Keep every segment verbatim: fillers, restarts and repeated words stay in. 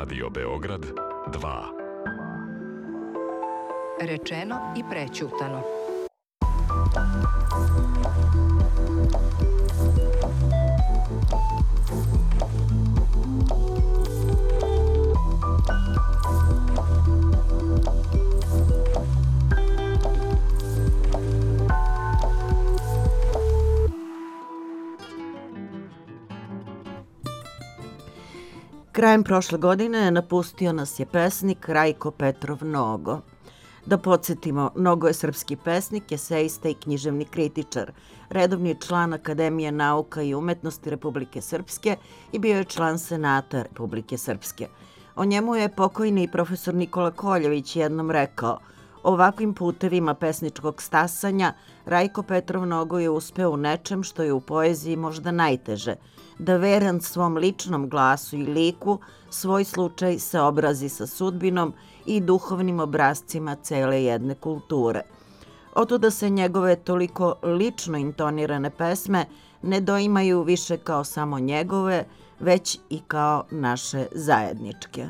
Radio Beograd dva. Rečeno i prećutano. Krajem prošle godine napustio nas je pesnik Rajko Petrov Nogo. Da podsjetimo, Nogo je srpski pesnik, esejista i književni kritičar, redovni član Akademije nauka i umetnosti Republike Srpske i bio je član Senata Republike Srpske. O njemu je pokojni profesor Nikola Koljević jednom rekao: ovakvim putevima pesničkog stasanja Rajko Petrov Nogo je uspeo u nečem što je u poeziji možda najteže, da veran svom ličnom glasu i liku svoj slučaj se obrazi sa sudbinom i duhovnim obrazcima cele jedne kulture. Otuda se njegove toliko lično intonirane pesme ne doimaju više kao samo njegove, već i kao naše zajedničke.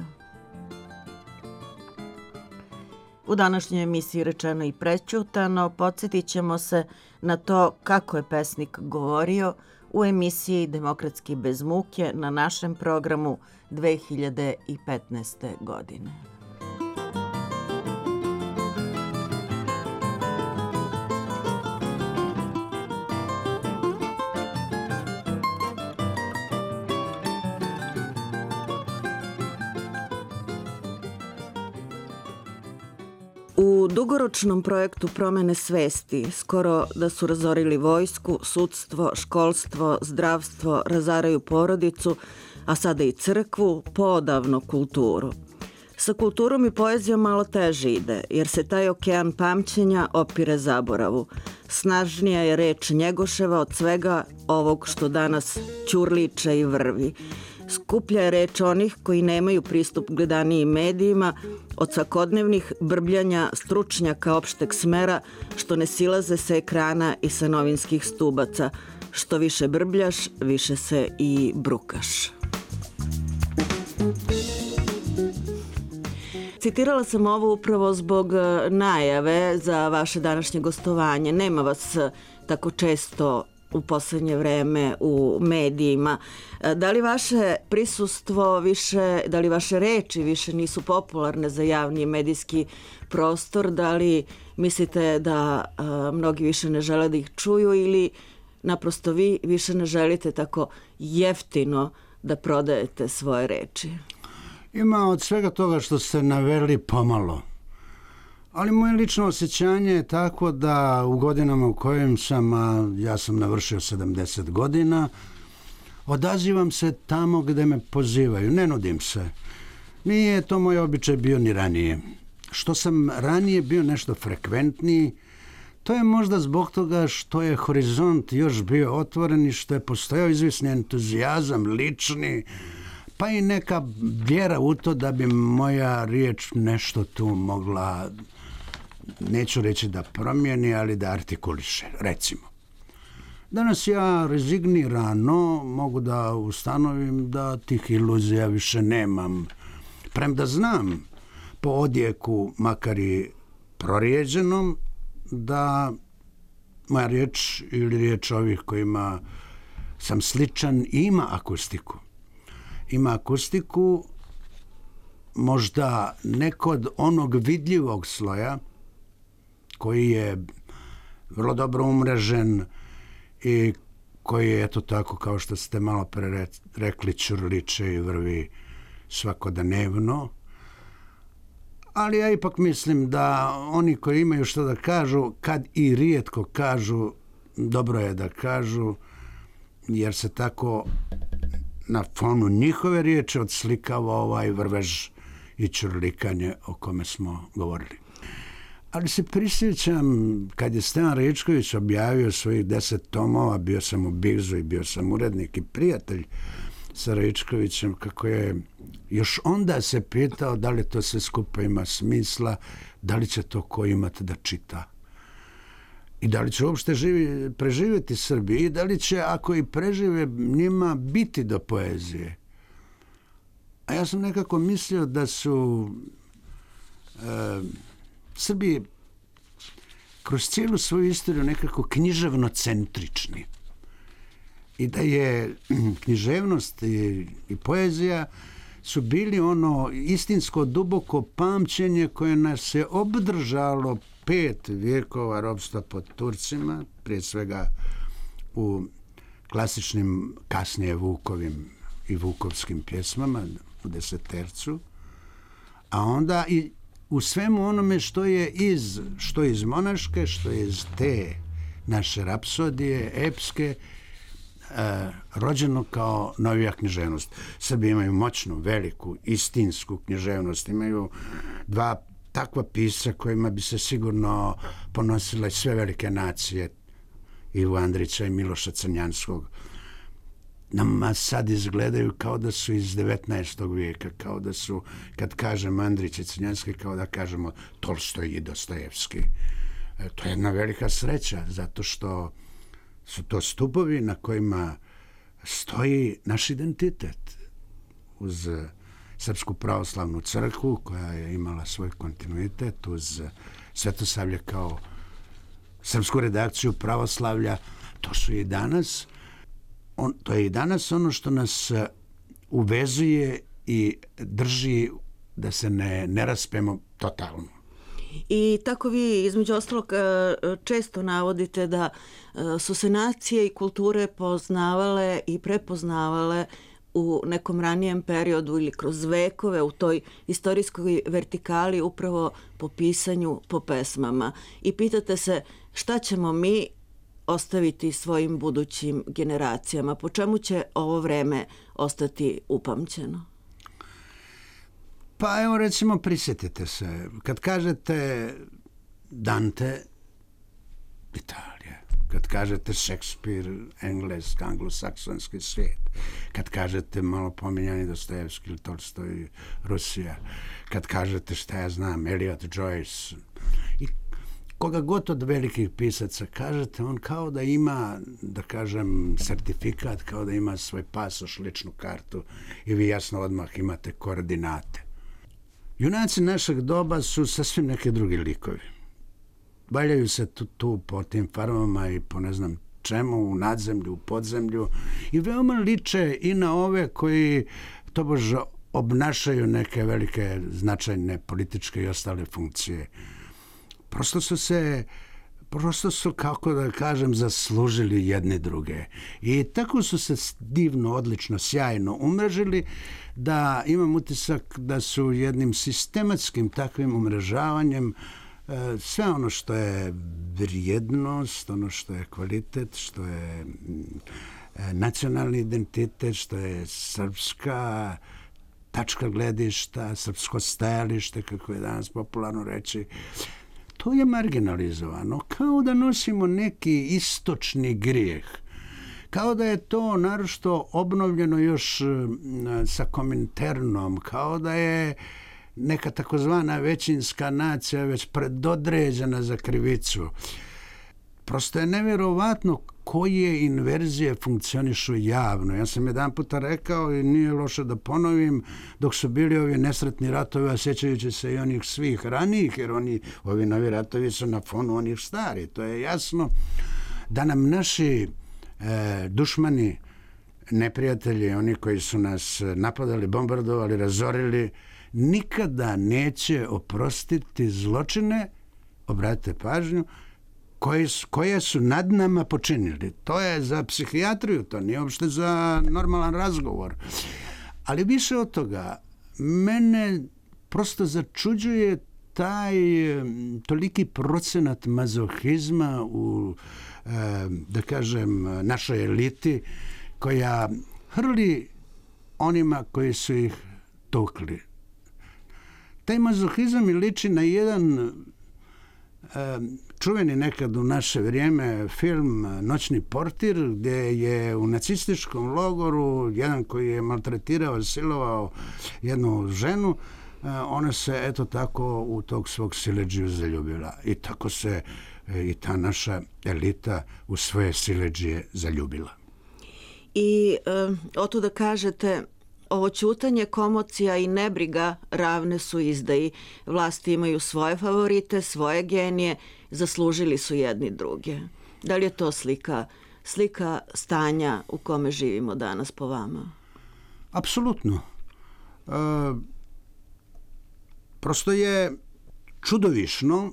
U današnjoj emisiji Rečeno i prećutano podsjetit ćemo se na to kako je pesnik govorio u emisiji Demokratski bez muke na našem programu dve hiljade petnaeste. godine. U dugoročnom projektu promene svesti, skoro da su razorili vojsku, sudstvo, školstvo, zdravstvo, razaraju porodicu, a sada i crkvu, poodavno kulturu. Sa kulturom i poezijom malo teže ide, jer se taj okean pamćenja opire zaboravu. Snažnija je reč Njegoševa od svega ovog što danas ćurliče i vrvi. Skuplja je reč onih koji nemaju pristup gledanijim medijima od svakodnevnih brbljanja stručnjaka opšteg smera što ne silaze sa ekrana i sa novinskih stubaca. Što više brbljaš, više se i brukaš. Citirala sam ovo upravo zbog najave za vaše današnje gostovanje. Nema vas tako često u poslednje vreme u medijima. Da li vaše prisustvo više, da li vaše reči više nisu popularne za javni medijski prostor? Da li mislite da a, mnogi više ne žele da ih čuju ili naprosto vi više ne želite tako jeftino da prodajete svoje reči? Ima od svega toga što ste naveli pomalo. Ali moje lično osjećanje je tako da u godinama u kojim sam, a ja sam navršio sedamdeset godina, odazivam se tamo gde me pozivaju, ne nudim se. Nije to moj običaj bio ni ranije. Što sam ranije bio nešto frekventniji, to je možda zbog toga što je horizont još bio otvoren i što je postojao izvisni entuzijazam lični, pa i neka vjera u to da bi moja riječ nešto tu mogla, neću reći da promijeni, ali da artikuliše, recimo. Danas ja rezignirano mogu da ustanovim da tih iluzija više nemam. Premda znam po odjeku, makar i prorijeđenom, da moja riječ ili riječ ovih kojima sam sličan ima akustiku. Ima akustiku možda ne kod onog vidljivog sloja koji je vrlo dobro umrežen i koji je, eto tako, kao što ste malo pre rekli, ćurliče i vrvi svakodnevno. Ali ja ipak mislim da oni koji imaju što da kažu, kad i rijetko kažu, dobro je da kažu, jer se tako na fonu njihove riječi odslikava ovaj vrvež i ćurlikanje o kome smo govorili. Ali se prisjećam kad je Stevan Rečković objavio svojih deset tomova, bio sam u Bigzu i bio sam urednik i prijatelj sa Rečkovićem, kako je još onda se pitao da li to sve skupa ima smisla, da li će to ko imati da čita. I da li će uopšte živi, preživjeti Srbi i da li će, ako i prežive, njima biti do poezije. A ja sam nekako mislio da su e, Srbi kroz cijelu svoju istoriju nekako književno-centrični. I da je književnost i, i poezija su bili ono istinsko duboko pamćenje koje nas je obdržalo pet vijekova ropstva pod Turcima, prije svega u klasičnim kasnije Vukovim i Vukovskim pjesmama u Desetercu, a onda i u svemu onome što je iz, što iz monaške, što je iz te naše rapsodije, epske, e, rođeno kao novija književnost. Srbi imaju moćnu, veliku, istinsku književnost, imaju dva takva pisca kojima bi se sigurno ponosile sve velike nacije, Ivo Andrića i Miloša Crnjanskog. Nama sad izgledaju kao da su iz devetnaestog vijeka, kao da su, kad kažem Andrić i Crnjanski, kao da kažemo Tolstoj i Dostojevski. E, to je jedna velika sreća, zato što su to stupovi na kojima stoji naš identitet. Uz Srpsku pravoslavnu crkvu, koja je imala svoj kontinuitet, uz Svetosavlje kao srpsku redakciju pravoslavlja, to su i danas, on, to je i danas ono što nas uvezuje i drži da se ne, ne raspemo totalno. I tako vi između ostalog često navodite da su se nacije i kulture poznavale i prepoznavale u nekom ranijem periodu ili kroz vekove u toj istorijskoj vertikali upravo po pisanju, po pesmama. I pitate se šta ćemo mi ostaviti svojim budućim generacijama, po čemu će ovo vreme ostati upamćeno? Pa evo recimo prisjetite se, kad kažete Dante, Italija, kad kažete Šekspir, engleski, anglosaksonski svijet, kad kažete malo pominjani Dostojevski ili Tolstoj, Rusija, kad kažete šta ja znam, Eliot, Joyce i koga god od velikih pisaca kažete, on kao da ima, da kažem, sertifikat, kao da ima svoj pasoš, ličnu kartu i vi jasno odmah imate koordinate. Junaci našeg doba su sasvim neke drugi likovi. Valjaju se tu, tu po tim farmama i po ne znam čemu, u nadzemlju, u podzemlju i veoma liče i na ove koji tobože obnašaju neke velike značajne političke i ostale funkcije. Prosto su se, prosto su, kako da kažem, zaslužili jedne druge. I tako su se divno, odlično, sjajno umrežili da imam utisak da su jednim sistematskim takvim umrežavanjem sve ono što je vrijednost, ono što je kvalitet, što je nacionalni identitet, što je srpska tačka gledišta, srpsko stajalište, kako je danas popularno reći, to je marginalizovano, kao da nosimo neki istočni grijeh. Kao da je to naročito obnovljeno još sa Kominternom, kao da je neka takozvana većinska nacija već predodređena za krivicu. Prosto je nevjerovatno koje inverzije funkcionišu javno. Ja sam jedan puta rekao i nije loše da ponovim, dok su bili ovi nesretni ratovi, a sjećajući se i onih svih ranijih, jer oni, ovi novi ratovi su na fonu onih stari. To je jasno da nam naši e, dušmani, neprijatelji, oni koji su nas napadali, bombardovali, razorili, nikada neće oprostiti zločine, obratite pažnju, koje su, koje su nad nama počinili. To je za psihijatriju, to nije uopšte za normalan razgovor. Ali više od toga, mene prosto začuđuje taj toliki procenat mazohizma u, da kažem, našoj eliti, koja hrli onima koji su ih tukli. Taj mazohizam mi liči na jedan čuveni nekad u naše vrijeme film Noćni portir, gdje je u nacističkom logoru jedan koji je maltretirao, silovao jednu ženu, ona se eto tako u tog svog siledžiju zaljubila. I tako se i ta naša elita u svoje siledžije zaljubila. I e, o to da kažete, ovo ćutanje, komocija i nebriga ravne su izdaji. Vlasti imaju svoje favorite, svoje genije, zaslužili su jedni druge. Da li je to slika, slika stanja u kome živimo danas po vama? Apsolutno. E, prosto je čudovišno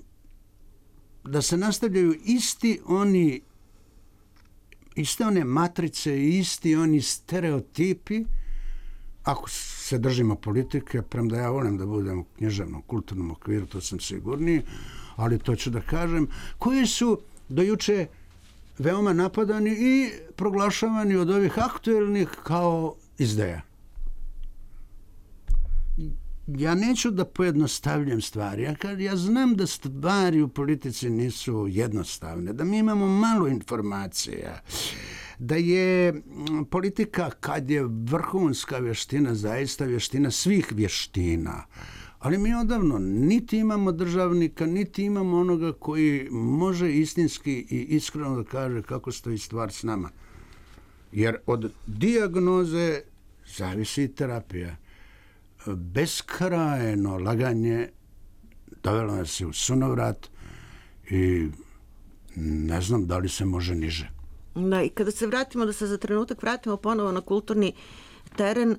da se nastavljaju isti oni iste one matrice i isti oni stereotipi, ako se držimo politike, premda ja volim da budem u književnom, kulturnom okviru, to sam sigurniji, ali to ću da kažem, koji su dojuče veoma napadani i proglašavani od ovih aktuelnih kao izdaja. Ja neću da pojednostavljam stvari. Ja, kad, ja znam da stvari u politici nisu jednostavne, da mi imamo malo informacija, da je politika, kad je vrhunska vještina, zaista vještina svih vještina. Ali mi odavno niti imamo državnika, niti imamo onoga koji može istinski i iskreno da kaže kako stoji stvar s nama. Jer od dijagnoze zavisi i terapija. Beskrajno laganje dovelo nas je u sunovrat i ne znam da li se može niže. Da, i kada se vratimo, da se za trenutak vratimo ponovo na kulturni teren,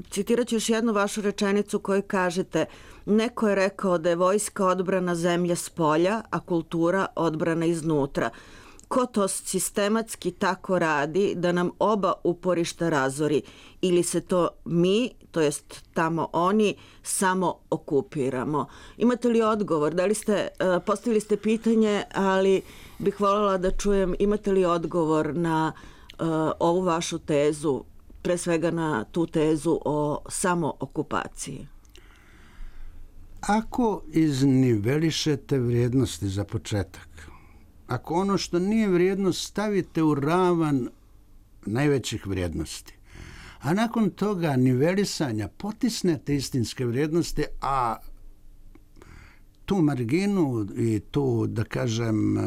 citirat ću još jednu vašu rečenicu koju kažete: neko je rekao da je vojska odbrana zemlje s polja, a kultura odbrana iznutra. Ko to sistematski tako radi da nam oba uporišta razori, ili se to mi, to jest tamo oni, samo okupiramo? Imate li odgovor? Da li ste, postavili ste pitanje, ali bih voljela da čujem, imate li odgovor na uh, ovu vašu tezu, pre svega na tu tezu o samookupaciji? Ako iznivelišete vrijednosti za početak, ako ono što nije vrijednost stavite u ravan najvećih vrijednosti, a nakon toga nivelisanja potisnete istinske vrijednosti, a tu marginu i tu, da kažem,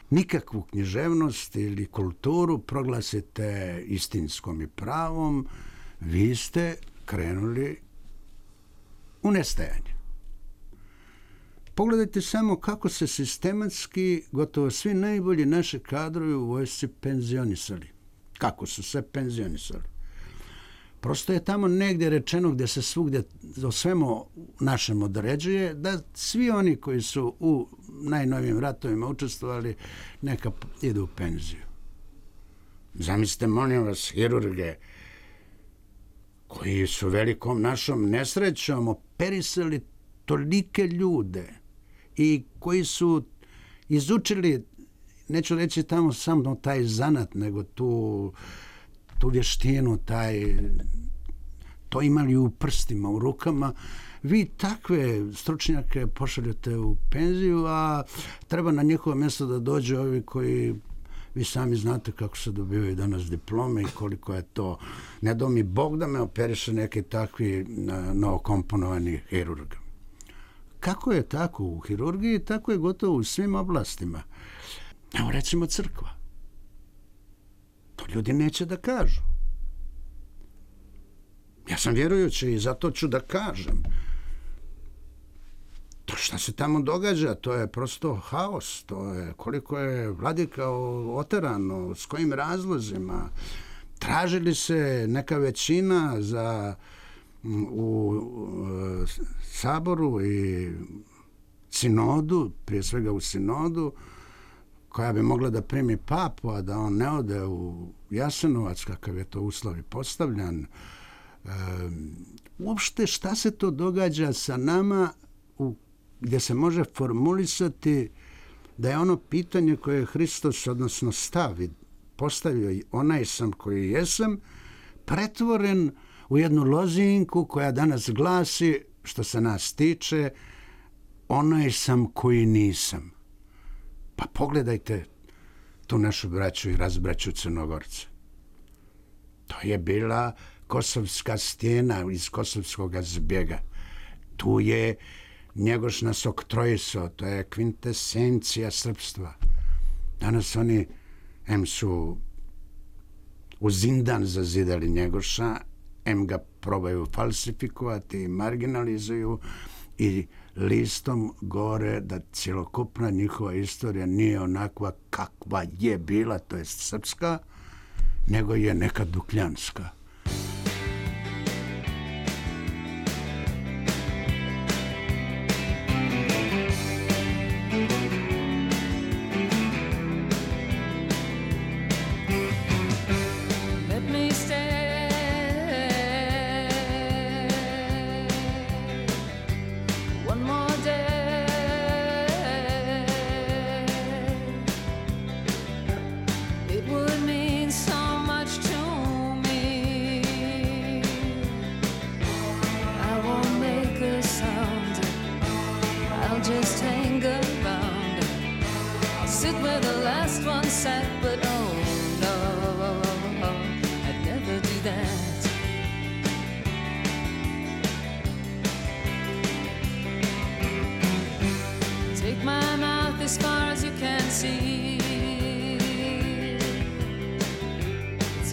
nikakvu književnost ili kulturu proglasite istinskom i pravom, vi ste krenuli u nestajanje. Pogledajte samo kako se sistematski gotovo svi najbolji naši kadrovi u vojsci penzionisali. Kako su se penzionisali. Prosto je tamo negdje rečeno, gdje se svugdje o svemu našem određuje, da svi oni koji su u najnovijim ratovima učestvovali neka idu u penziju. Zamislite, molim vas, hirurge koji su velikom našom nesrećom operisali tolike ljude i koji su izučili, neću reći tamo samo taj zanat, nego tu, tu vještinu, taj, to imali u prstima, u rukama. Vi takve stručnjake pošaljete u penziju, a treba na njihovo mjesto da dođe ovi koji, vi sami znate kako se dobivaju danas diplome i koliko je to. Ne do mi Bog da me operiše neki takvi novokomponovani hirurg. Kako je tako u hirurgiji, tako je gotovo u svim oblastima. Evo recimo crkva. To ljudi neće da kažu. Ja sam vjerujući i zato ću da kažem. To što se tamo događa, to je prosto haos. To je koliko je vladika oterano, s kojim razlozima. Tražili se neka većina za u saboru i sinodu, prije svega u sinodu, koja bi mogla da primi papu, a da on ne ode u Jasenovac, kakav je to uslov i postavljan. E, uopšte šta se to događa sa nama u, gdje se može formulisati da je ono pitanje koje je Hristos, odnosno stavi, postavio onaj sam koji jesam, pretvoren u jednu lozinku koja danas glasi, što se nas tiče, onaj sam koji nisam. Pa pogledajte tu našu braću i razbraću Crnogorce. To je bila Kosovska stijena iz Kosovskog zbjega. Tu je Njegoš nas oktrojiso, to je kvintesencija srpstva. Danas oni em su u zindan zazidali Njegoša, em ga probaju falsifikovati i marginalizuju i listom gore da cjelokupna njihova istorija nije onakva kakva je bila, to jest srpska, nego je neka dukljanska.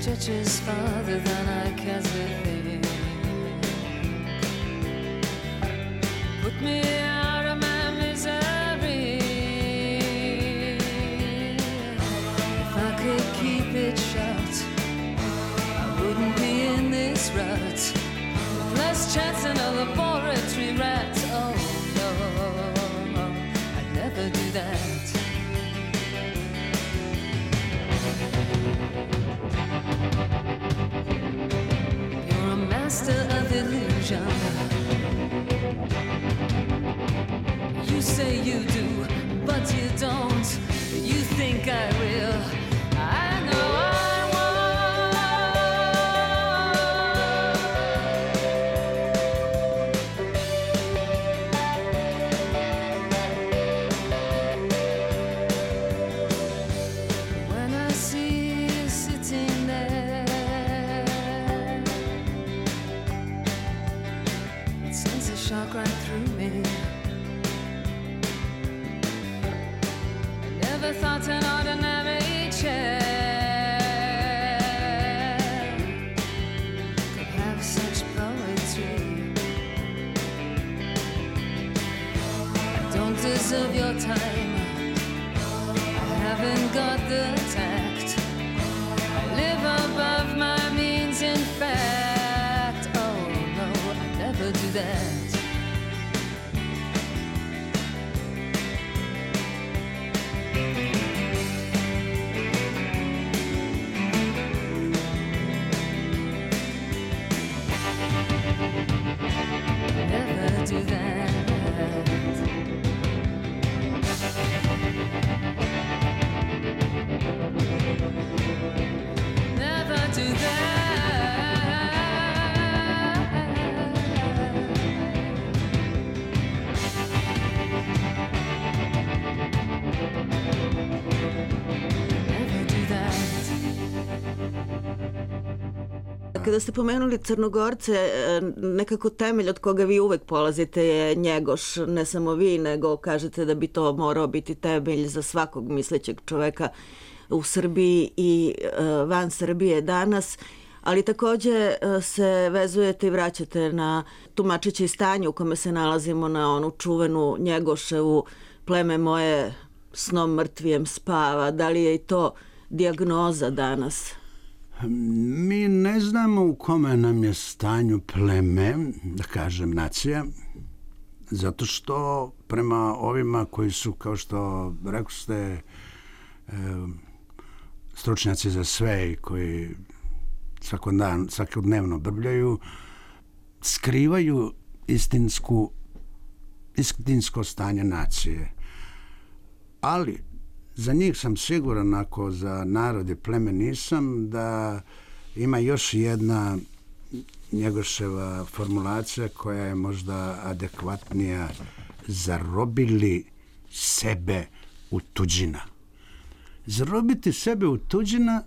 Stretches farther than I can see. Put me out of my misery. If I could keep it shut, I wouldn't be in this rut. Less chance than a laboratory rat. Oh no, I'd never do that. Master of illusion. You say you do, but you don't. You think I will. I know I won't. When I see you sitting there, shock right through me. Never thought an ordinary chair could have such poetry. I don't deserve your time. I haven't got the tact. I live above my means, in fact. Oh no, I never do that. Do that. Never do that. Never do that. Kada ste pomenuli Crnogorce, nekako temelj od koga vi uvek polazite je Njegoš, ne samo vi, nego kažete da bi to morao biti temelj za svakog mislećeg čoveka u Srbiji i van Srbije danas, ali takođe se vezujete i vraćate na tumačeće stanje u kome se nalazimo, na onu čuvenu Njegoševu pleme moje snom mrtvijem spava. Da li je i to dijagnoza danas? Mi ne znamo u kome nam je stanju pleme, da kažem nacija, zato što prema ovima koji su, kao što rekao ste, e, stručnjaci za sve i koji svakodan, svakodnevno brbljaju, skrivaju istinsku, istinsko stanje nacije. Ali za njih sam siguran, ako za narod i pleme nisam, da ima još jedna Njegoševa formulacija koja je možda adekvatnija: zarobili sebe u tuđina. Zarobiti sebe u tuđina,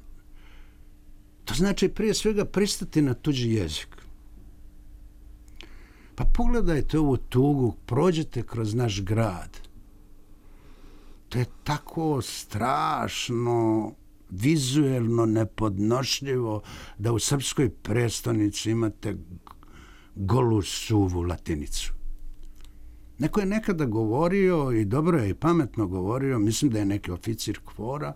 to znači prije svega pristati na tuđi jezik. Pa pogledajte ovu tugu, prođete kroz naš grad. To je tako strašno vizuelno nepodnošljivo da u srpskoj prestonici imate golu suvu latinicu. Neko je nekada govorio, i dobro je i pametno govorio, mislim da je neki oficir KFOR-a,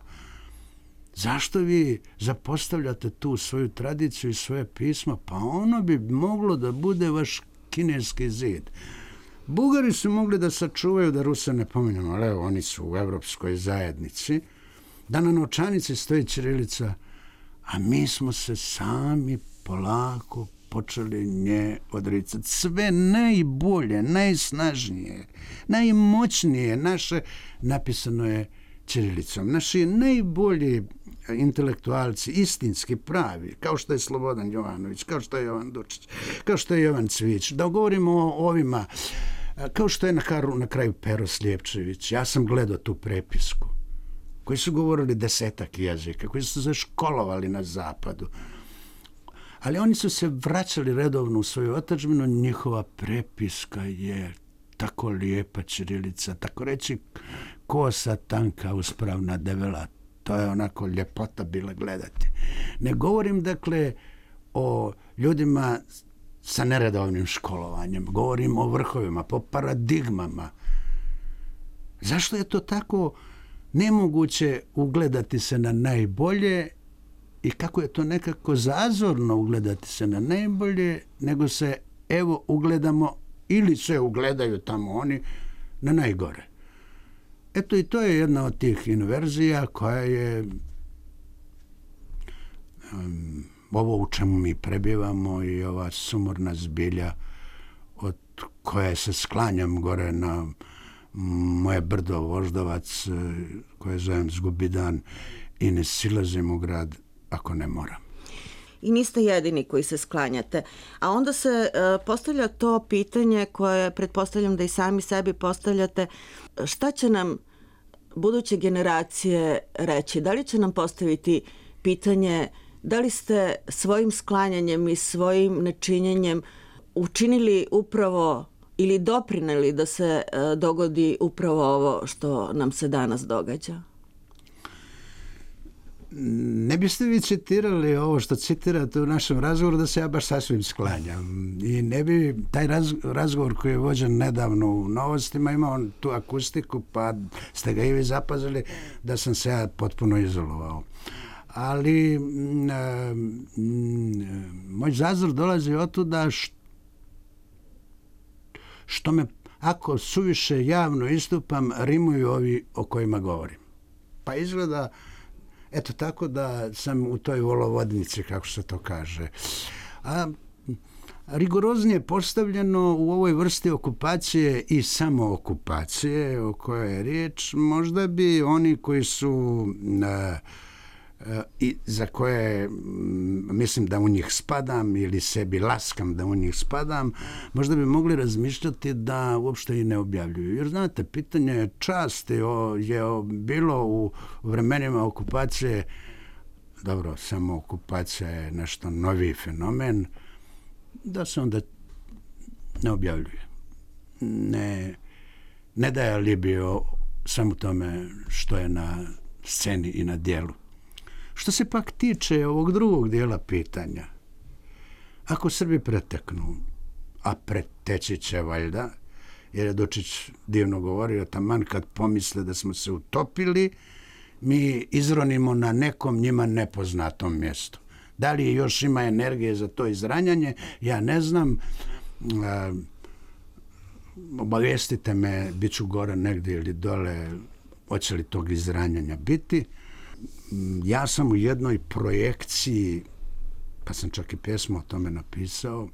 zašto vi zapostavljate tu svoju tradiciju i svoje pismo? Pa ono bi moglo da bude vaš kineski zid. Bugari su mogli da sačuvaju, da Ruse ne pominjamo, ali evo, oni su u evropskoj zajednici, da na novčanici stoji ćirilica, a mi smo se sami polako počeli nje odricati. Sve najbolje, najsnažnije, najmoćnije naše napisano je ćirilicom. Naši najbolji intelektualci, istinski pravi, kao što je Slobodan Jovanović, kao što je Jovan Dučić, kao što je Jovan Cvić, da govorimo o ovima, kao što je na, karu, na kraju Pero Slijepčević. Ja sam gledao tu prepisku, koji su govorili desetak jezika, koji su se školovali na zapadu. Ali oni su se vraćali redovno u svoju otadžbinu, njihova prepiska je tako lijepa ćirilica, tako reći kosa, tanka, uspravna, debela. To je onako ljepota bila gledati. Ne govorim, dakle, o ljudima sa neredovnim školovanjem. Govorim o vrhovima, po paradigmama. Zašto je to tako nemoguće ugledati se na najbolje i kako je to nekako zazorno ugledati se na najbolje, nego se, evo, ugledamo ili se ugledaju tamo oni na najgore. Eto, i to je jedna od tih inverzija koja je um, ovo u čemu mi prebivamo i ova sumorna zbilja od koje se sklanjam gore na moje brdo Voždovac, koje zovem Zgubidan, i ne silazim u grad ako ne moram. I niste jedini koji se sklanjate. A onda se uh, postavlja to pitanje koje pretpostavljam da i sami sebi postavljate. Šta će nam buduće generacije reći? Da li će nam postaviti pitanje da li ste svojim sklanjanjem i svojim nečinjenjem učinili upravo ili doprineli da se uh, dogodi upravo ovo što nam se danas događa? Ne biste vi citirali ovo što citirate u našem razgovoru da se ja baš sasvim sklanjam. I ne bi taj raz, razgovor koji je vođen nedavno u Novostima imao tu akustiku, pa ste ga i vi zapazili da sam se ja potpuno izolovao. Ali m, m, moj zazor dolazi od tuda što, što me, ako suviše javno istupam, rimuju ovi o kojima govorim. Pa izgleda eto tako da sam u toj volovodnici, kako se to kaže. A rigoroznije postavljeno u ovoj vrsti okupacije i samookupacije o kojoj je riječ, možda bi oni koji su a, a, i za koje m, mislim da u njih spadam ili sebi laskam da u njih spadam, možda bi mogli razmišljati da uopšte i ne objavljuju. Jer znate, pitanje časti o, je o, bilo u vremenima okupacije, dobro, samo okupacija je nešto novi fenomen, da se onda ne objavljuje. Ne, ne daje alibi o samo tome što je na sceni i na dijelu. Što se pak tiče ovog drugog dijela pitanja, ako Srbi preteknu, a preteći će valjda, jer je Dučić divno govorio, taman kad pomisle da smo se utopili, mi izronimo na nekom njima nepoznatom mjestu. Da li još ima energije za to izranjanje, ja ne znam. A, obavijestite me, bit ću gore negdje ili dole, hoće li tog izranjanja biti. Ja sam u jednoj projekciji, pa sam čak i pjesmu o tome napisao,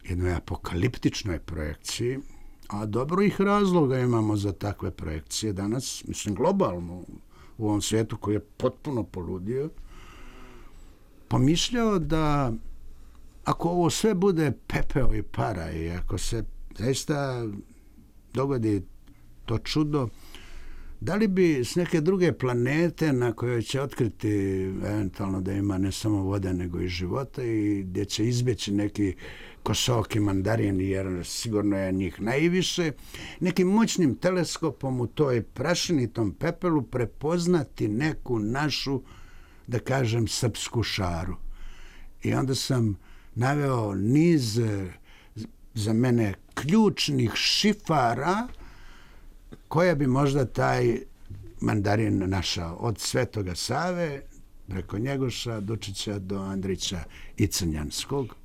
jednoj apokaliptičnoj projekciji, a dobro ih razloga imamo za takve projekcije danas, mislim globalno u ovom svijetu koji je potpuno poludio, pomišljao da ako ovo sve bude pepeo i para i ako se zaista dogodi to čudo, da li bi s neke druge planete na kojoj će otkriti eventualno da ima ne samo vode nego i života i gdje će izbjeći neki Kosoki mandarin, jer sigurno je njih najviše, nekim moćnim teleskopom u toj prašini, tom pepelu, prepoznati neku našu, da kažem, srpsku šaru. I onda sam naveo niz za mene ključnih šifara koja bi možda taj mandarin našao. Od Svetoga Save, preko Njegoša, Dučića do Andrića i Crnjanskog.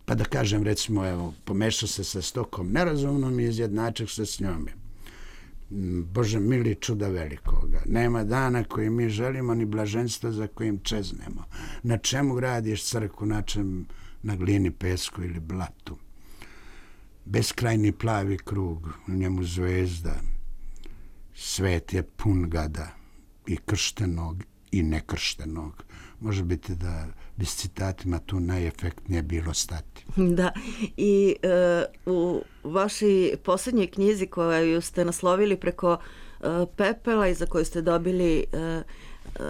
Pa da kažem, recimo, evo, pomešao se sa stokom nerazumnom i izjednačio se s njome. Bože mili, čuda velikoga. Nema dana koji mi želimo, ni blaženstva za kojim čeznemo. Na čemu gradiš crkvu, na čem, na glini, pesku ili blatu. Beskrajni plavi krug, u njemu zvezda. Svet je pun gada, i krštenog i nekrštenog. Može biti da bi s citatima tu najefektnije bilo stati. Da, i e, u vašoj posljednjoj knjizi koju ste naslovili preko e, pepela i za koju ste dobili e, e,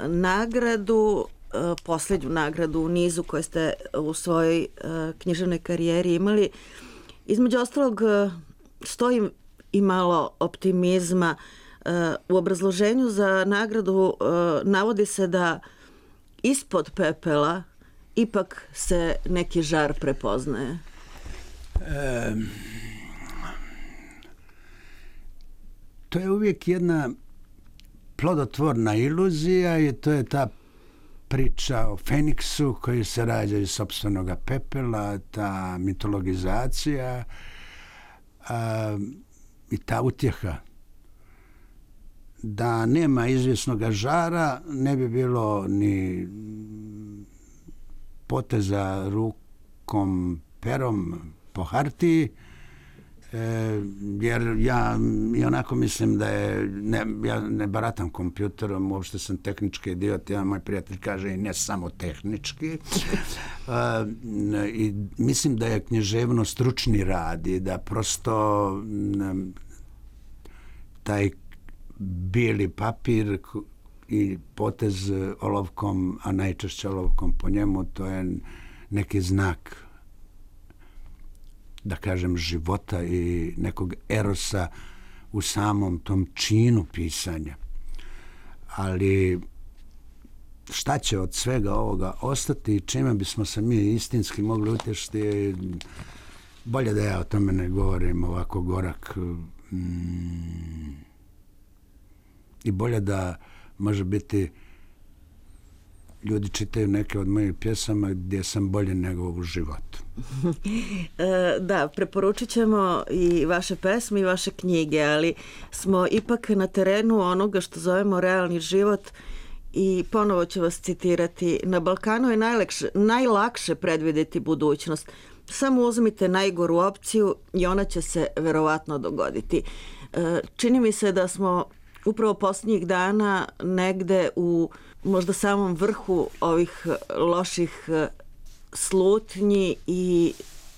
nagradu, e, posljednju nagradu u nizu koju ste u svojoj e, književnoj karijeri imali, između ostalog e, stoji i malo optimizma. E, u obrazloženju za nagradu e, navodi se da ispod pepela ipak se neki žar prepoznaje. E, to je uvijek jedna plodotvorna iluzija i to je ta priča o Feniksu koji se rađa iz sopstvenog pepela, ta mitologizacija a, i ta utjeha. Da nema izvjesnog žara, ne bi bilo ni poteza rukom, perom po hartiji, e, jer ja i onako mislim da je, ne, ja ne baratam kompjuterom, uopšte sam tehnički idiot, ja, moj prijatelj kaže i ne samo tehnički. e, I mislim da je književnost stručni rad i da prosto m, taj bijeli papir i potez olovkom, a najčešće olovkom po njemu, to je neki znak, da kažem, života i nekog erosa u samom tom činu pisanja. Ali šta će od svega ovoga ostati i čime bismo se mi istinski mogli utješiti, bolje da ja o tome ne govorim ovako gorak. Mm, I bolje da, može biti, ljudi čitaju neke od mojih pjesama gdje sam bolje nego u životu. Da, preporučit ćemo i vaše pesme i vaše knjige, ali smo ipak na terenu onoga što zovemo realni život i ponovo ću vas citirati. Na Balkanu je najlakše, najlakše predvidjeti budućnost. Samo uzmite najgoru opciju i ona će se verovatno dogoditi. Čini mi se da smo upravo posljednjih dana negde u možda samom vrhu ovih loših slutnji i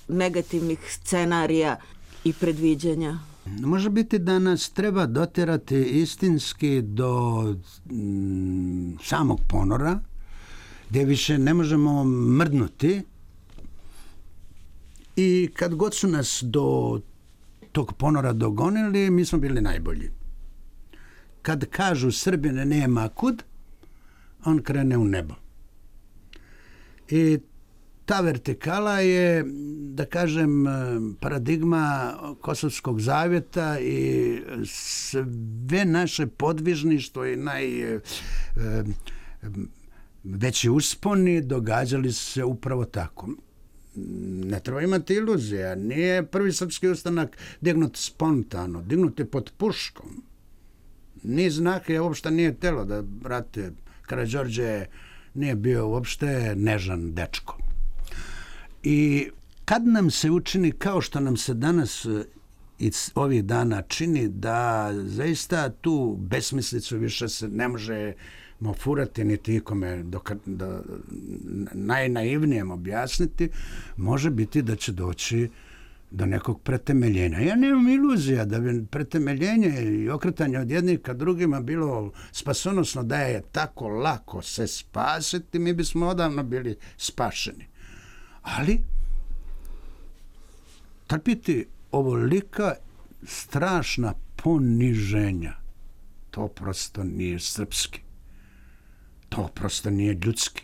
negativnih scenarija i predviđanja. Može biti da nas treba doterati istinski do mm, samog ponora, gdje više ne možemo mrdnuti i kad god su nas do tog ponora dogonili, mi smo bili najbolji. Kad kažu Srbine nema kud, on krene u nebo. I ta vertikala je, da kažem, paradigma Kosovskog zavjeta i sve naše podvižništvo i najveći usponi događali se upravo tako. Ne treba imati iluzija. Nije prvi srpski ustanak dignut spontano, dignut je pod puškom. Ni znak je uopšte nije telo da, brate, Karađorđe nije bio uopšte nežan dečko. I kad nam se učini, kao što nam se danas i ovih dana čini, da zaista tu besmislicu više se ne možemo furati niti ikome doka, da najnaivnijem objasniti, može biti da će doći do nekog pretemeljenja. Ja nemam iluzija da bi pretemeljenje i okretanje od jednih ka drugima bilo spasonosno, da je tako lako se spasiti, mi bismo odavno bili spašeni. Ali trpiti ovolika strašna poniženja, to prosto nije srpski. To prosto nije ljudski.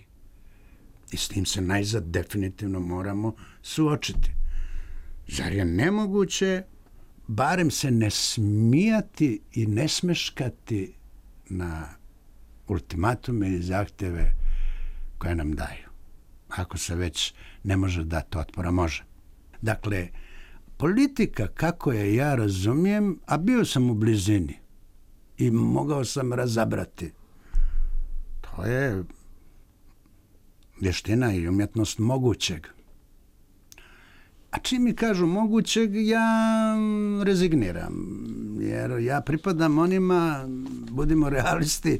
I s tim se najzad definitivno moramo suočiti. Zar je nemoguće barem se ne smijati i ne smeškati na ultimatume i zahtjeve koje nam daju? Ako se već ne može dati otpora, može. Dakle, politika kako je ja razumijem, a bio sam u blizini i mogao sam razabrati, to je vještina i umjetnost mogućeg. A čim mi kažu mogućeg, ja rezigniram, jer ja pripadam onima, budimo realisti,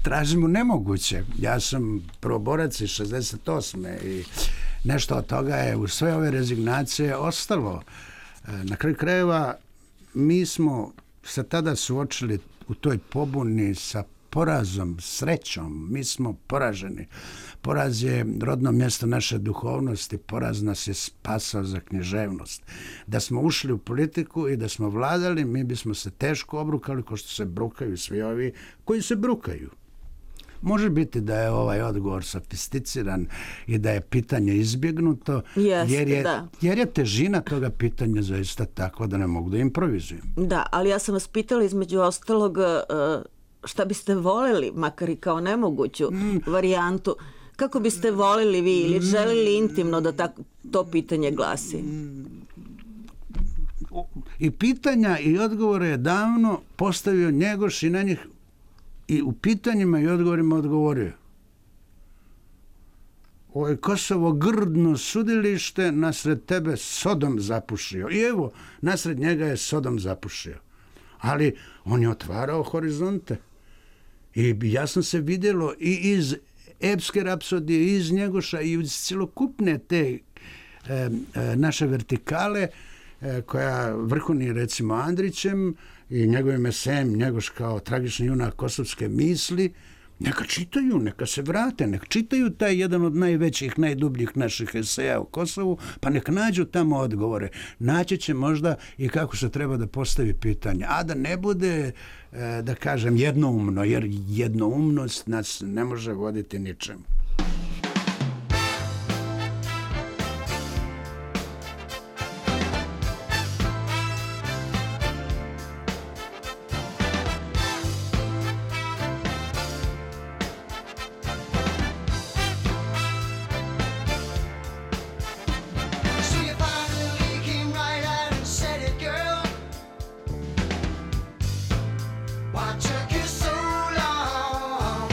tražimo nemoguće. Ja sam prvoborac iz šezdeset osme i nešto od toga je u sve ove rezignacije ostalo. Na kraju krajeva mi smo se tada suočili u toj pobuni sa porazom, srećom. Mi smo poraženi. Poraz je rodno mjesto naše duhovnosti, poraz nas je spasao za književnost. Da smo ušli u politiku i da smo vladali, mi bismo se teško obrukali kao što se brukaju svi ovi koji se brukaju. Može biti da je ovaj odgovor sofisticiran i da je pitanje izbjegnuto, Jeste, jer, je, da. jer je težina toga pitanja zaista takva da ne mogu da improvizujem. Da, ali ja sam vas pitala između ostalog uh, šta biste voljeli, makar i kao nemoguću mm. varijantu. Kako biste voljeli vi ili želili intimno da tako, to pitanje glasi? I pitanja i odgovore je davno postavio Njegoš i na njih i u pitanjima i odgovorima odgovorio. Ovo je Kosovo grdno sudilište, nasred tebe Sodom zapušio. I evo, nasred njega je Sodom zapušio. Ali on je otvarao horizonte. I jasno se vidjelo i iz epske rapsodije, i iz Njegoša, i iz cjelokupne te e, e, naše vertikale, e, koja vrhuni recimo Andrićem i njegovim esejem Njegoš kao tragični junak kosovske misli, neka čitaju, neka se vrate, neka čitaju taj jedan od najvećih, najdubljih naših eseja o Kosovu, pa nek nađu tamo odgovore. Naći će možda i kako se treba da postavi pitanje. A da ne bude, da kažem, jednoumno, jer jednoumnost nas ne može voditi ničemu. Why took you so long?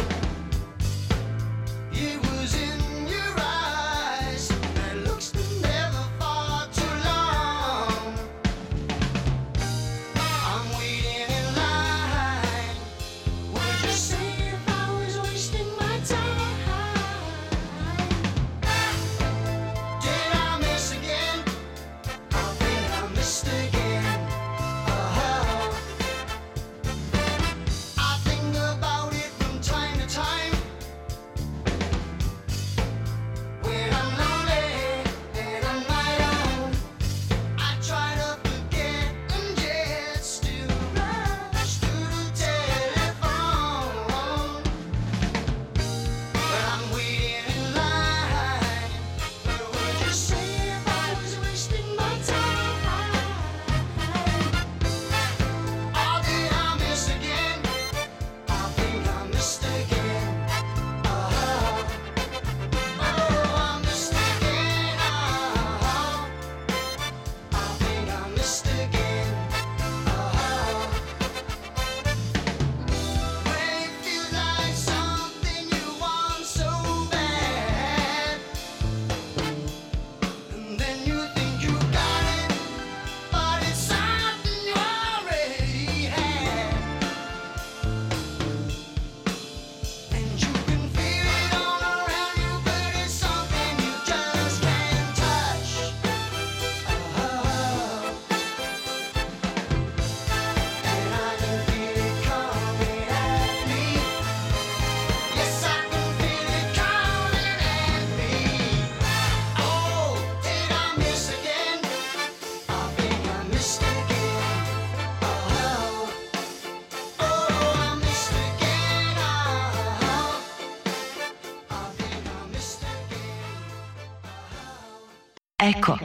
Eko.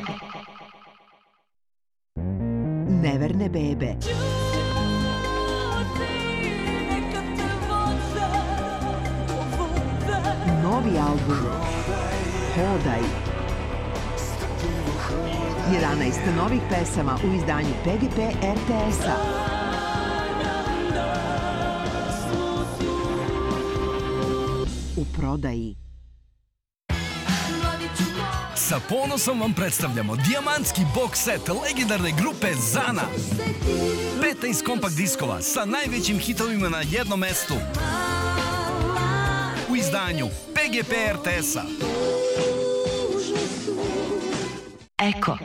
Neverne bebe. Novi album Hodaj. jedanaest novih pesama u izdanju P G P R T S-a. U prodaji. Sa ponosom vam predstavljamo dijamantski box set legendarne grupe Zana. petnaest kompakt diskova sa najvećim hitovima na jednom mestu. U izdanju P G P R T S-a. Eko.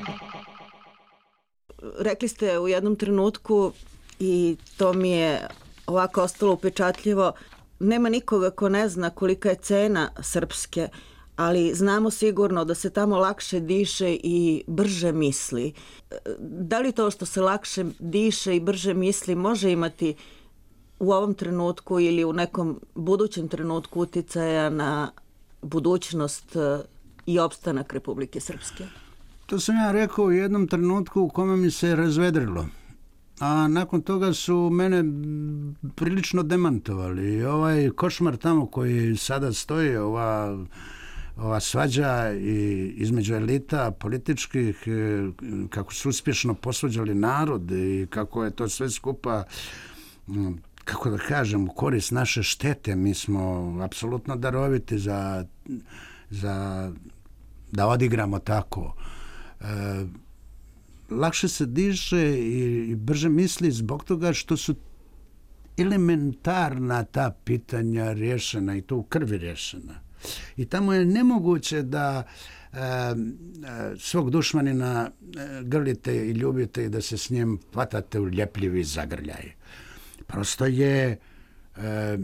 Rekli ste u jednom trenutku, i to mi je ovako ostalo upečatljivo, nema nikoga ko ne zna kolika je cena srpske, ali znamo sigurno da se tamo lakše diše i brže misli. Da li to što se lakše diše i brže misli može imati u ovom trenutku ili u nekom budućem trenutku uticaja na budućnost i opstanak Republike Srpske? To sam ja rekao u jednom trenutku u kome mi se razvedrilo. A nakon toga su mene prilično demantovali. I ovaj košmar tamo koji sada stoji, ova, ova svađa i između elita političkih, kako su uspješno posvađali narod i kako je to sve skupa, kako da kažem, u korist naše štete. Mi smo apsolutno daroviti za, za da odigramo tako. E, lakše se diše i brže misli zbog toga što su elementarna ta pitanja rješena i to u krvi rješena. I tamo je nemoguće da e, svog dušmanina grlite i ljubite i da se s njim hvatate u ljepljivi zagrljaj. Prosto je e,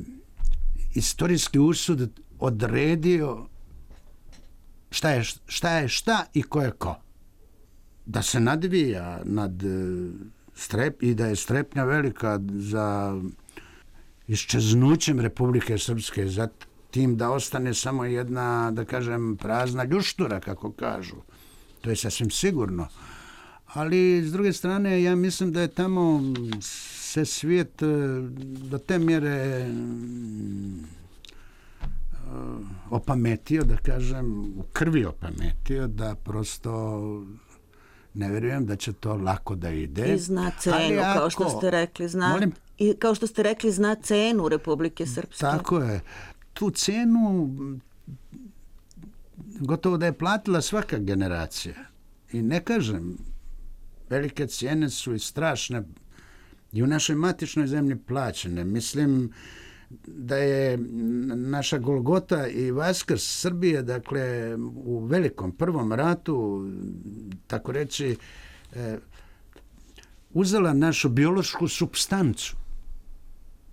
istorijski usud odredio šta je šta, je šta i ko je ko. Da se nadvija nad strep i da je strepnja velika za iščeznućem Republike Srpske, za tim da ostane samo jedna, da kažem, prazna ljuštura, kako kažu. To je sasvim sigurno. Ali, s druge strane, ja mislim da je tamo se svijet do te mjere opametio, da kažem, u krvi opametio, da prosto ne vjerujem da će to lako da ide. I zna cenu, ako, kao što ste rekli. Zna, molim? I kao što ste rekli, zna cenu Republike Srpske. Tako je. Tu cenu gotovo da je platila svaka generacija. I ne kažem, velike cijene su i strašne i u našoj matičnoj zemlji plaćene. Mislim da je naša Golgota i Vaskrs Srbije, dakle, u velikom prvom ratu, tako reći, e, uzela našu biološku supstancu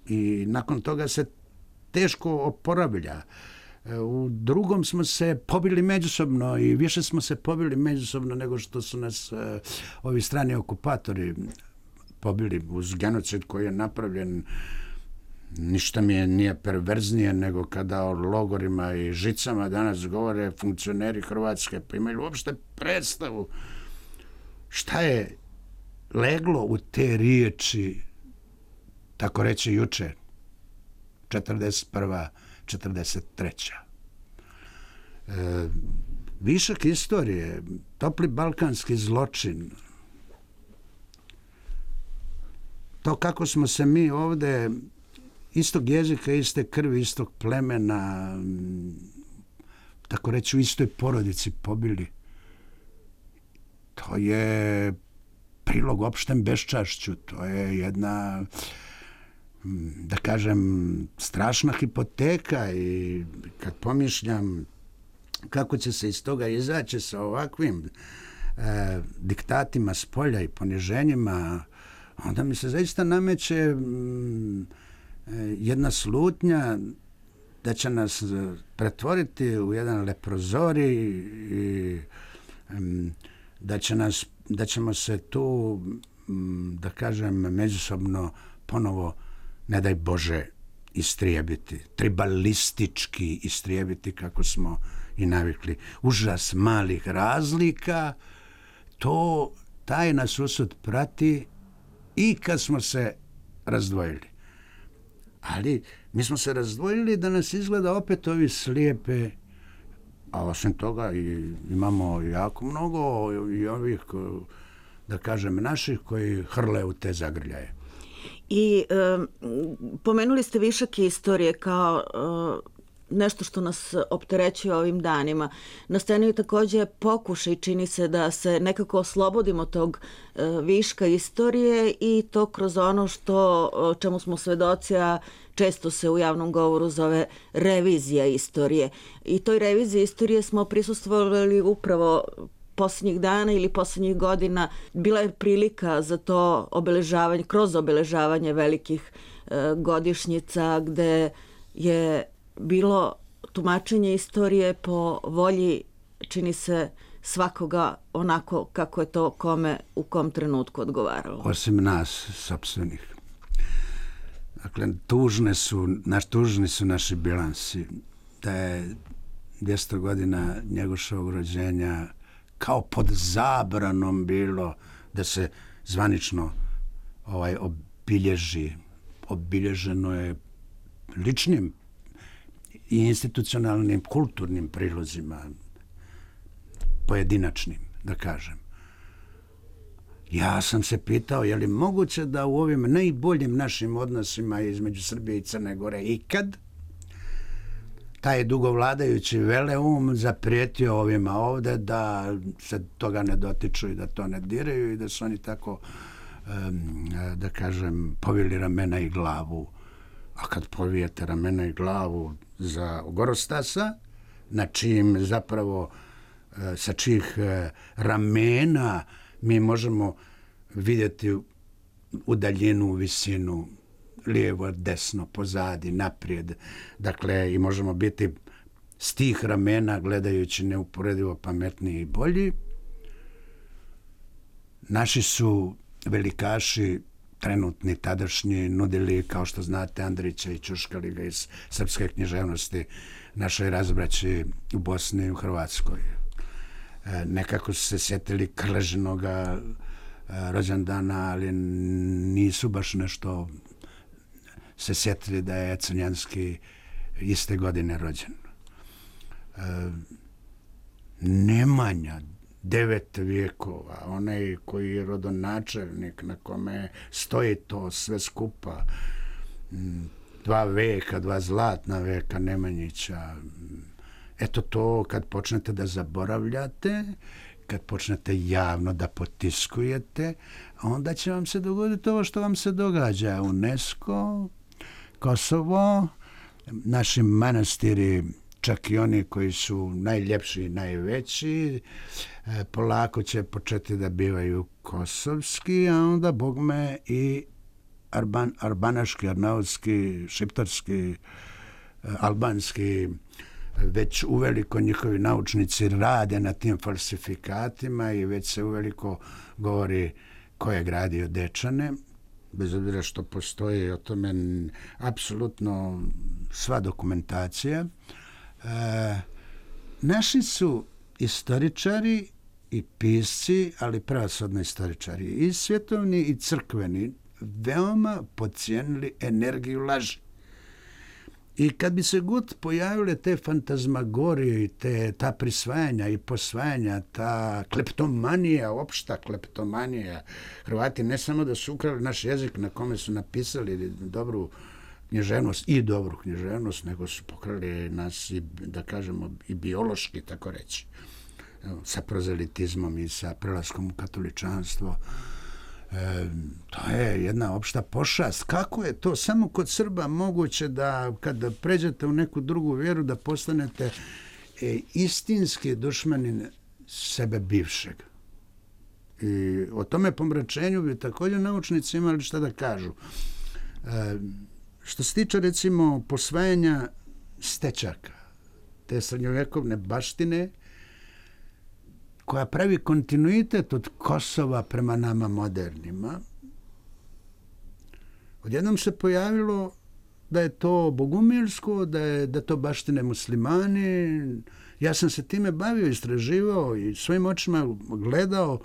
i nakon toga se teško oporavlja. E, u drugom smo se pobili međusobno i više smo se pobili međusobno nego što su nas e, ovi strani okupatori pobili uz genocid koji je napravljen. Ništa mi je nije perverznije nego kada o logorima i žicama danas govore funkcioneri Hrvatske, pa imaju uopšte predstavu šta je leglo u te riječi, tako reći juče, četrdeset prva četrdeset treća E, višak istorije, topli balkanski zločin, to kako smo se mi ovde istog jezika, iste krvi, istog plemena, tako reći u istoj porodici pobili. To je prilog opštem beščašću, to je jedna, da kažem, strašna hipoteka i kad pomišljam kako će se iz toga izaći sa ovakvim e, diktatima s polja i poniženjima, onda mi se zaista nameće m, jedna slutnja da će nas pretvoriti u jedan leprozorij i m, da će nas, da ćemo se tu, m, da kažem, međusobno ponovo, ne daj Bože, istrijebiti, tribalistički istrijebiti kako smo i navikli. Užas malih razlika, to, taj nas usud prati i kad smo se razdvojili. Ali mi smo se razdvojili da nas izgleda opet ovi slijepe, a osim toga i imamo jako mnogo i ovih, da kažem, naših koji hrle u te zagrljaje. I e, pomenuli ste višak istorije kao e, nešto što nas opterećuje ovim danima. Na sceni je također pokušaj, čini se, da se nekako oslobodimo tog e, viška istorije i to kroz ono što, čemu smo svedoci, a često se u javnom govoru zove revizija istorije. I toj reviziji istorije smo prisustvovali upravo posljednjih dana ili posljednjih godina. Bila je prilika za to obeležavanje, kroz obeležavanje velikih e, godišnjica gde je bilo tumačenje istorije po volji, čini se, svakoga onako kako je to kome u kom trenutku odgovaralo. Osim nas, sopstvenih. Dakle, tužne su, naš, tužni su naši bilansi. Da je dvjesto godina Njegoševog rođenja kao pod zabranom bilo da se zvanično ovaj, obilježi. Obilježeno je ličnim i institucionalnim, kulturnim prilozima, pojedinačnim, da kažem. Ja sam se pitao, je li moguće da u ovim najboljim našim odnosima između Srbije i Crne Gore ikad taj dugovladajući veleum zaprijetio ovima ovde da se toga ne dotiču i da to ne diraju i da su oni tako, da kažem, povili ramena i glavu. A kad povijete ramena i glavu za Gorostasa, na čijim zapravo, sa čijih ramena mi možemo vidjeti u daljinu, visinu, lijevo, desno, pozadi, naprijed. Dakle, i možemo biti s tih ramena, gledajući neuporedivo pametniji i bolji. Naši su velikaši, trenutni, tadašnji, nudili, kao što znate, Andrića i Ćuškali ga iz srpske književnosti našoj razbraći u Bosni i u Hrvatskoj. E, nekako su se sjetili Krležinoga e, rođendana, ali nisu baš nešto se sjetili da je Crnjanski iste godine rođen. E, Nemanja, devet vijekova, onaj koji je rodonačelnik na kome stoji to sve skupa, dva veka, dva zlatna veka Nemanjića. Eto to kad počnete da zaboravljate, kad počnete javno da potiskujete, onda će vam se dogoditi ovo što vam se događa. UNESCO, Kosovo, naši manastiri, čak i oni koji su najljepši i najveći, polako će početi da bivaju kosovski, a onda, bogme, i arban, arbanaški, arnautski, šiptarski, albanski, već uveliko njihovi naučnici rade na tim falsifikatima i već se uveliko govori ko je gradio Dečane, bez obzira što postoji o tome apsolutno sva dokumentacija. E, naši su istoričari i pisci, ali pravosodni istoričari, i svjetovni i crkveni, veoma podcijenili energiju laži. I kad bi se god pojavile te fantazmagorije i te, ta prisvajanja i posvajanja, ta kleptomanija, opšta kleptomanija, Hrvati ne samo da su ukrali naš jezik na kome su napisali dobru književnost i dobru književnost, nego su pokrali nas i, da kažemo, i biološki, tako reći, sa prozelitizmom i sa prelaskom u katoličanstvo. E, to je jedna opšta pošast. Kako je to samo kod Srba moguće da kada pređete u neku drugu vjeru da postanete e, istinski dušmanin sebe bivšeg? I o tome pomračenju bi također naučnici imali šta da kažu. E, što se tiče, recimo, posvajanja stečaka, te srednjovjekovne baštine, koja pravi kontinuitet od Kosova prema nama modernima, odjednom se pojavilo da je to bogumilsko, da je da to baštine muslimani. Ja sam se time bavio, istraživao i svojim očima gledao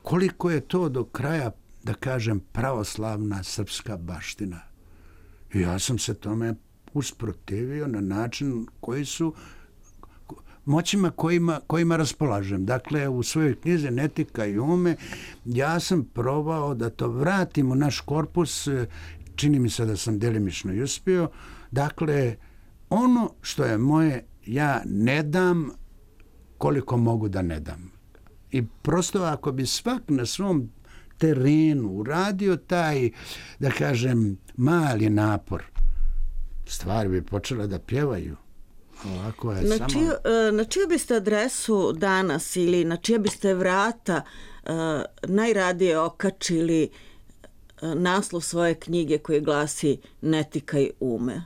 koliko je to do kraja, da kažem, pravoslavna srpska baština. I ja sam se tome usprotivio na način koji su moćima kojima, kojima raspolažem. Dakle, u svojoj knjizi Netika i ume ja sam probao da to vratim u naš korpus, čini mi se da sam delimično i uspio. Dakle, ono što je moje, ja ne dam koliko mogu da ne dam. I prosto ako bi svak na svom terenu uradio taj, da kažem, mali napor, stvari bi počele da pjevaju. Ovako je na, samo... čiju, na čiju biste adresu danas ili na čije biste vrata uh, najradije okačili uh, naslov svoje knjige koji glasi Netika i ume?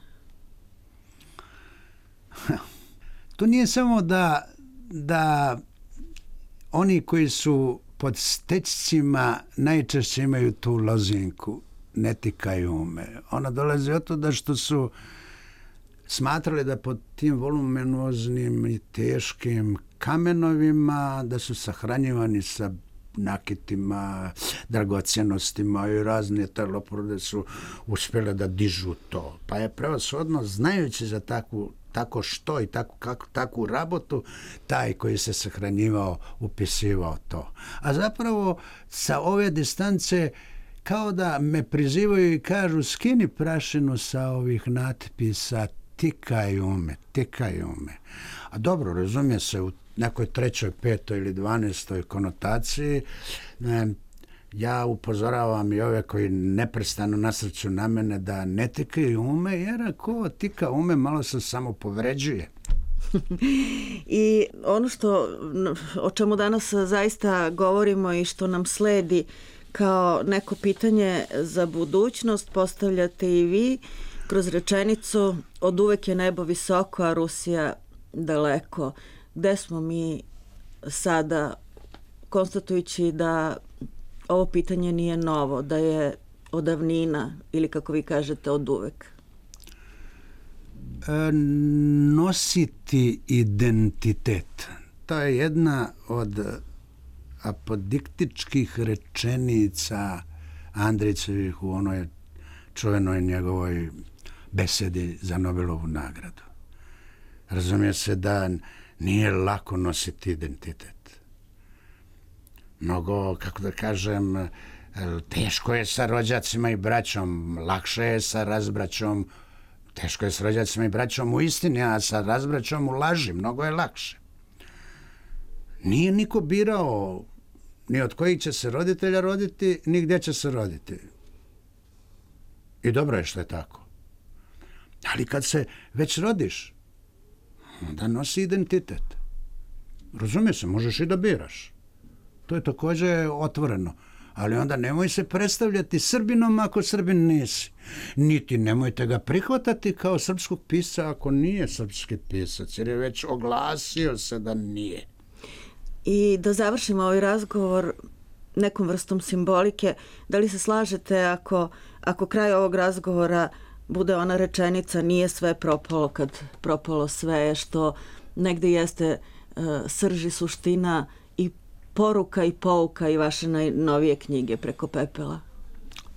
To nije samo da, da oni koji su pod stečcima najčešće imaju tu lozinku Netika i ume. Ona dolazi od toga što su smatrali da pod tim voluminoznim i teškim kamenovima da su sahranjivani sa nakitima, dragocjenostima i razne taloporode su uspjele da dižu to. Pa je prevashodno, znajući za takvu tako što i tako, kako, takvu rabotu, taj koji se sahranjivao, upisivao to. A zapravo sa ove distance kao da me prizivaju i kažu skini prašinu sa ovih natpisa tikaj ume, tikaj ume. A dobro, razumije se u nekoj trećoj, petoj ili dvanestoj konotaciji. Ja upozoravam i ove koji neprestano nasrću na mene da ne tikaju ume, jer ako tika ume malo se samo povređuje. I ono što, o čemu danas zaista govorimo i što nam sledi kao neko pitanje za budućnost, postavljate i vi kroz rečenicu od uvek je nebo visoko, a Rusija daleko. Gde smo mi sada, konstatujući da ovo pitanje nije novo, da je od davnina ili kako vi kažete od uvek? E, nositi identitet. To je jedna od apodiktičkih rečenica Andrićevih u onoj čuvenoj njegovoj besedi za Nobelovu nagradu. Razumije se da nije lako nositi identitet. Mnogo, kako da kažem, teško je sa rođacima i braćom, lakše je sa razbraćom, teško je sa rođacima i braćom u istini, a sa razbraćom u laži, mnogo je lakše. Nije niko birao ni od kojih će se roditelja roditi, ni gdje će se roditi. I dobro je što je tako. Ali kad se već rodiš, onda nosi identitet. Razumije se, možeš i da biraš. To je također otvoreno. Ali onda nemoj se predstavljati Srbinom ako Srbin nisi. Niti nemojte ga prihvatati kao srpskog pisca ako nije srpski pisac, jer je već oglasio se da nije. I da završimo ovaj razgovor nekom vrstom simbolike, da li se slažete ako, ako kraj ovog razgovora bude ona rečenica nije sve propalo kad propalo sve, što negde jeste uh, srž i suština i poruka i pouka i vaše najnovije knjige Preko pepela?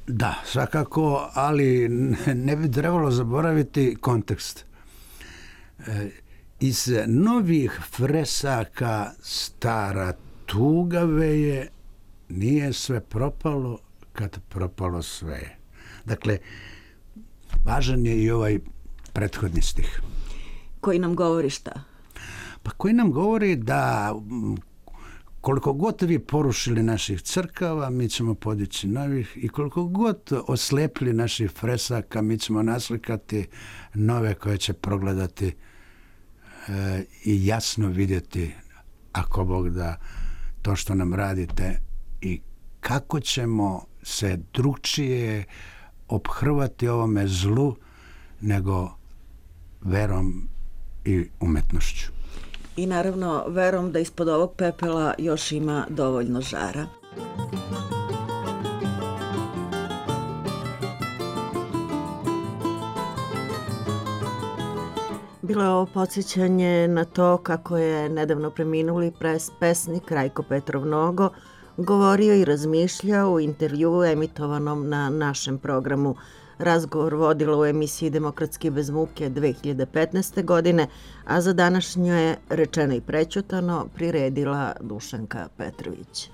Da, svakako, ali ne bi trebalo zaboraviti kontekst. E, iz novih fresaka stara tuga veje, nije sve propalo kad propalo sve. Dakle, važan je i ovaj prethodni stih. Koji nam govori šta? Pa koji nam govori da koliko god vi porušili naših crkava, mi ćemo podići novih, i koliko god oslepili naših fresaka, mi ćemo naslikati nove koje će progledati e, i jasno vidjeti, ako Bog da, to što nam radite i kako ćemo se drugčije ophrvati ovome zlu nego verom i umetnošću. I naravno verom da ispod ovog pepela još ima dovoljno žara. Bilo je ovo podsjećanje na to kako je nedavno preminuli pres pesnik Rajko Petrov Nogo govorio i razmišljao u intervjuu emitovanom na našem programu. Razgovor vodila u emisiji Demokratski bez muke dve hiljade petnaeste. godine, a za današnju je rečeno i prećutano priredila Dušanka Petrović.